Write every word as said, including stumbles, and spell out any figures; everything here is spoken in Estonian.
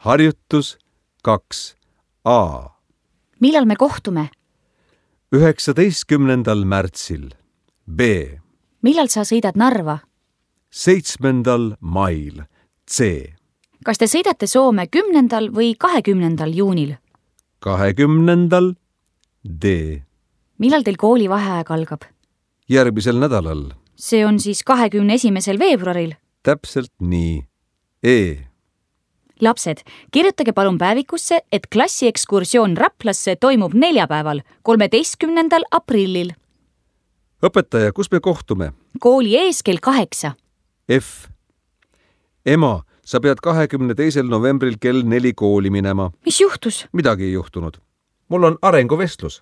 Harjutus kaks A. Millal me kohtume? üheksateistkümnendal märtsil. B. Millal sa sõidad Narva? seitsmendal mail. C. Kas te sõidate Soome kümnendal või kahekümnendal juunil? kahekümnendal. D. Millal teil koolivaheaeg algab? Järgmisel nädalal. See on siis kahekümne esimesel veebruaril. Täpselt nii. E. Lapsed, kirjutage palun päevikusse, et klassiekskursioon Raplasse toimub neljapäeval, kolmeteistkümnendal aprillil. Õpetaja, kus me kohtume? Kooli ees kell kaheksa. F. Ema, sa pead kahekümne teisel novembril kell neli kooli minema. Mis juhtus? Midagi ei juhtunud. Mul on arenguvestlus.